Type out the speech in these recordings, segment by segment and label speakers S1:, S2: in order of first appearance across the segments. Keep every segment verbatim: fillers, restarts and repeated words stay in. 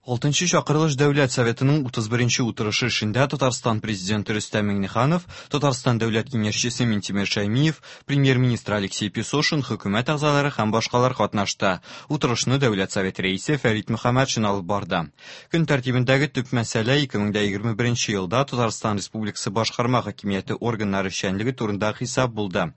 S1: Алтынчы чакырылыш Дәүләт Советының утыз беренче утырышы эшендә Татарстан президенты Рөстәм Миңнеханов, Татарстан Дәүләт Киңәшчесе Минтимер Шәймиев, премьер-министр Алексей Песошин, хөкүмәт әгъзалары һәм башкалар катнашты. Утырышны Дәүләт Советы рәисе Фәрит Мөхәммәтшин алып барды. Көн тәртибендәге төп мәсьәлә ике мең дә егерме беренче елда Татарстан Республикасы башкарма хакимияте органнары эшчәнлеге турында хисап булды.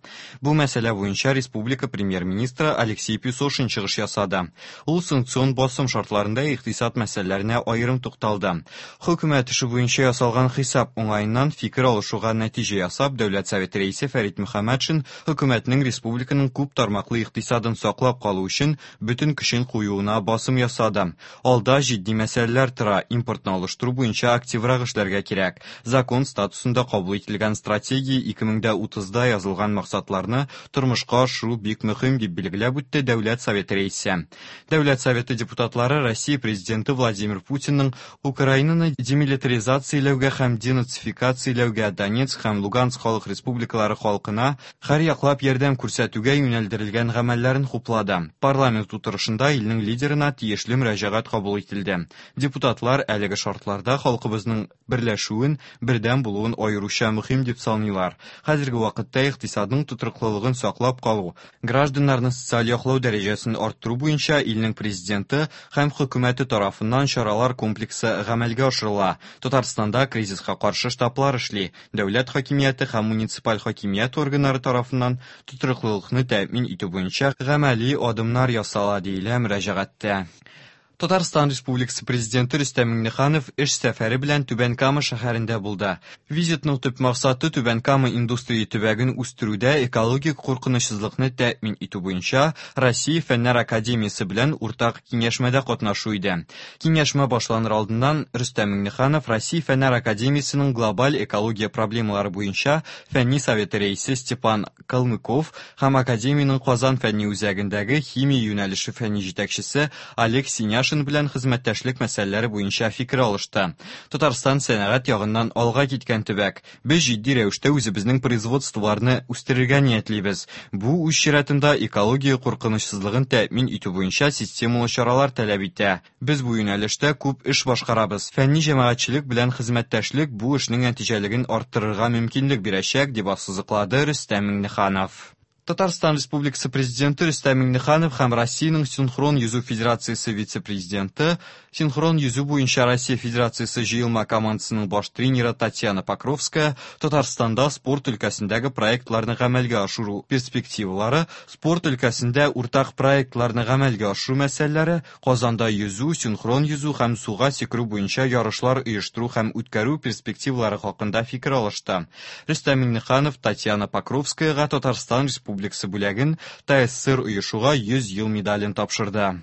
S1: Бу мәсьәлә буенча республика премьер-министры Алексей Песошин чыгыш ясады. Ул санкцион басым шартларында икътисад мәсьәләләренә аерым тукталды. Хөкүмәт эше буенча ясалган хисап уңаеннан фикер алышуга нәтиҗә ясап, Дәүләт Советы рәисе Фәрит Мөхәммәтшин хөкүмәтнең республиканың күп тармаклы икътисадын саклап калу өчен бөтен көчен куюына басым ясады. Алда җитди мәсьәләләр тора, импортны алыштыру буенча активрак эшләргә кирәк. Закон статусында кабул ителгән стратегия ике мең дә утызда язылган максатларны тормышка ашыру бик мөһим дип билгеләп үтте Дәүләт Советы рәисе. Дәүләт Советы депутатлары Россия президенты Владимир Путинның Украинаны демилитаризацияләүгә һәм денацификацияләүгә, Донецк һәм Луганск халык республикалары халкына һәр яклап ярдәм күрсәтүгә юнәлдерелгән гамәлләрен хуплады. Парламент утырышында илнең лидерына тиешле мөрәҗәгать кабул ителде. Депутатлар әлеге шартларда халкыбызның берләшүен, бердәм булуын аеруча мөһим дип саныйлар. Хәзерге вакытта икътисадның тотрыклылыгын саклап калу, гражданнарны социаль яклау дәрәҗәсен арттыру буенча илнең президенты һәм хөкүмәте тарафыннан чаралар комплексы гамәлгә ашырыла. Татарстанда кризиска каршы штаблар эшли. Дәүләт хакимияте һәм муниципаль хакимият органнары тарафыннан тотрыклылыкны тәэмин итү буенча гамәли адымнар ясала, диелә мөрәҗәгатьтә. Татарстан Республикасы президенты Рөстәм Миңнеханов эш сәфәре белән Түбән Кама шәһәрендә булды. Визитның төп максаты Түбән Кама индустрия төбәген үстерүдә экологик куркынычсызлыкны тәэмин итү буенча Россия Фәннәр Академиясе белән уртак киңәшмәдә катнашу иде. Киңәшмә башланыр алдыннан Рөстәм Миңнеханов Россия Фәннәр Академиясенең глобаль экология проблемалары буенча фәнни советы рәисе Степан Калмыков һәм Академиянең Казан фәнни үзәгендәге химия юнәлеше фәнни җитәкчесе Олег Синяшин белән хезмәттәшлек мәсьәләләре буенча фикер алышты. Татарстан сәнәгать ягыннан алга киткән төбәк. Без җитди рәвештә үзебезнең производстволарны үстерергә ниятлибез. Бу үз чиратында экология куркынычсызлыгын тәэмин итү буенча системалы чаралар таләп итә. Без бу юнәлештә күп эш башкарабыз. Фәнни җәмәгатьчелек белән хезмәттәшлек бу эшнең нәтиҗәлеген арттырырга мөмкинлек бирәчәк, дип ассызыклады Рөстәм Миңнеханов. Татарстан Республикасы президенты Рөстәм Миңнеханов һәм Россиянең Синхрон йөзү Федерациясе вице-президенты, Синхрон йөзү буенча Россия Федерациясе җыелма командасының баш тренеры Татьяна Покровская Татарстанда спорт өлкәсендәге проектларны гамәлгә ашыру перспективалары, спорт өлкәсендә уртак проектларны гамәлгә ашыру мәсьәләләре, Казанда йөзү, синхрон йөзү һәм суга сикерү буенча ярышлар оештыру һәм үткәрү перспективалары хакында фикер алышты. Рөстәм Миңнеханов Татьяна Покровскаяга Татарстан Республикасы бүләген ТАССР оешуга йөз ел медален тапшырды.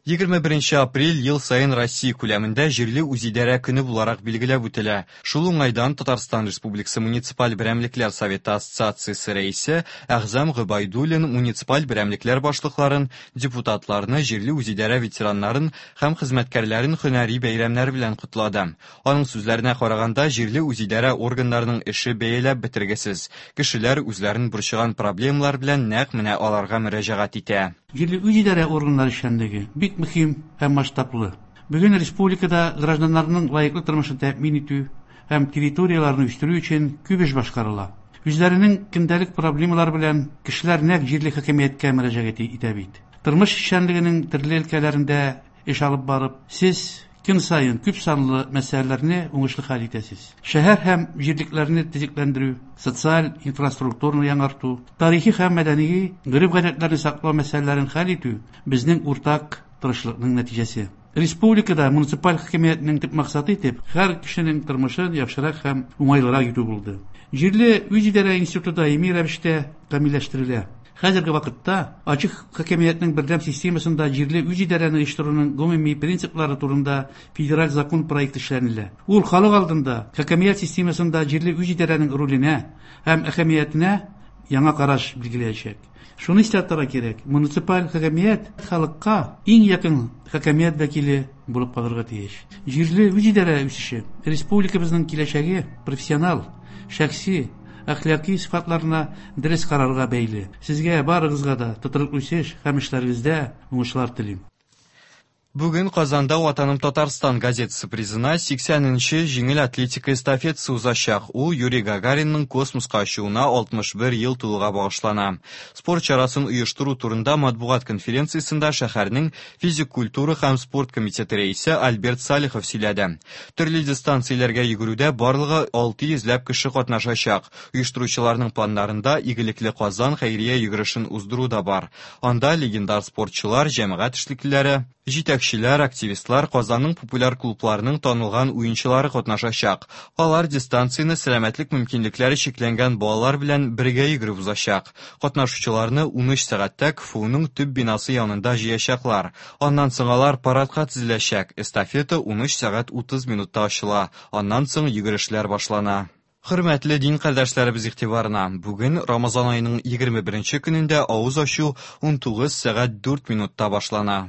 S1: Егерме беренче апрель ел саен Россия күләмендә җирле үзидарә көне буларак билгеләп үтелә. Шул уңайдан Татарстан Республикасы Муниципаль берәмлекләр Советы Ассоциациясе рәисе Әгъзам Гобәйдуллин муниципаль берәмлекләр башлыкларын, депутатларны, җирле үзидарә ветераннарын һәм хезмәткәрләрен һөнәри бәйрәмнәр белән котлады. Аның сүзләренә караганда, җирле үзидарә органнарының эше бәяләп бетергесез. Кешеләр үзләрен борчыган проблемалар белән нәкъ менә аларга мөрәҗәгать итә.
S2: Җирле үзидарә органнары эшчәнлеге бик мөһим һәм масштаблы. Бүген республикада гражданнарның лаеклы тормышын тәэмин итү һәм территорияләрне үстерү өчен күп эш башкарыла. Үзләренең көндәлек проблемалары белән кешеләр нәкъ җирле хакимияткә мөрәҗәгать итә бит. Тормыш эшчәнлегенең төрле өлкәләрендә эш алып барып, сез көн саен күп санлы мәсьәләләрне уңышлы хәл итәсез. Шәһәр һәм җирлекләрне төзекләндерү, социаль инфраструктураны яңарту, тарихи һәм мәдәни гореф-гадәтләрне саклау мәсьәләләрен хәл итү безнең уртак тырышлыкның нәтиҗәсе. Республикада муниципаль хакимиятнең төп максаты итеп һәр кешенең тормышын яхшырак һәм уңайлырак итү булды. Җирле үзидарә институты даими рәвештә камилләштерелә. Хәзерге вакытта ачык хакимиятнең бердәм системасында җирле үзидарәне оештыруның гомуми принциплары турында федераль закон проекты эшләнелә. Ул халык алдында хакимият системасында җирле үзидарәнең роленә һәм әһәмиятенә яңа караш билгеләячәк. Шуны истә тотарга кирәк, муниципаль хакимият халыкка иң якын хакимият вәкиле булып калырга тиеш. Җирле үзидарә үсеше республикабызның киләчәге профессионал, шәхси, әхлаки сыйфатларына дөрес карарга бәйле. Сезгә барыгызга да тотрыклы үсеш һәм эшләрегездә уңышлар телим.
S1: Бүген Казанда «Ватаным Татарстан» газетасы призына сиксәненче җиңел атлетика эстафетасы узачак. Ул Юрий Гагаринның космоска очуына алтмыш бер ел тулуга багышлана. Спорт чарасын оештыру турында матбугат конференциясендә шәһәрнең физик культура һәм спорт комитеты рәисе Альберт Салихов сөйләде. Төрле дистанцияләргә йөгерүдә барлыгы алты йөзләп кеше катнашачак. Оештыручыларның планнарында «Игелекле Казан» хәйрия йөгерешен уздыру да бар. Анда легендар спортчылар, җәмәгать эшлеклеләре, җитәкчеләр, активистлар, Казанның популяр клубларының танылган уенчылары катнашачак. Алар дистанцияне сәламәтлек мөмкинлекләре чикләнгән балалар белән бергә йөгереп узачак. Катнашучыларны унөч сәгатьтә КФУның төп бинасы янында җыячаклар. Аннан соң алар парадка тезеләчәк. Эстафета унөч сәгать утыз минутта ачыла. Аннан соң йөгерешләр башлана. Хөрмәтле дин кардәшләребез игътибарына, бүген Рамазан аеның егерме беренче көнендә авыз ачу унтугыз сәгать дүрт минутта башлана.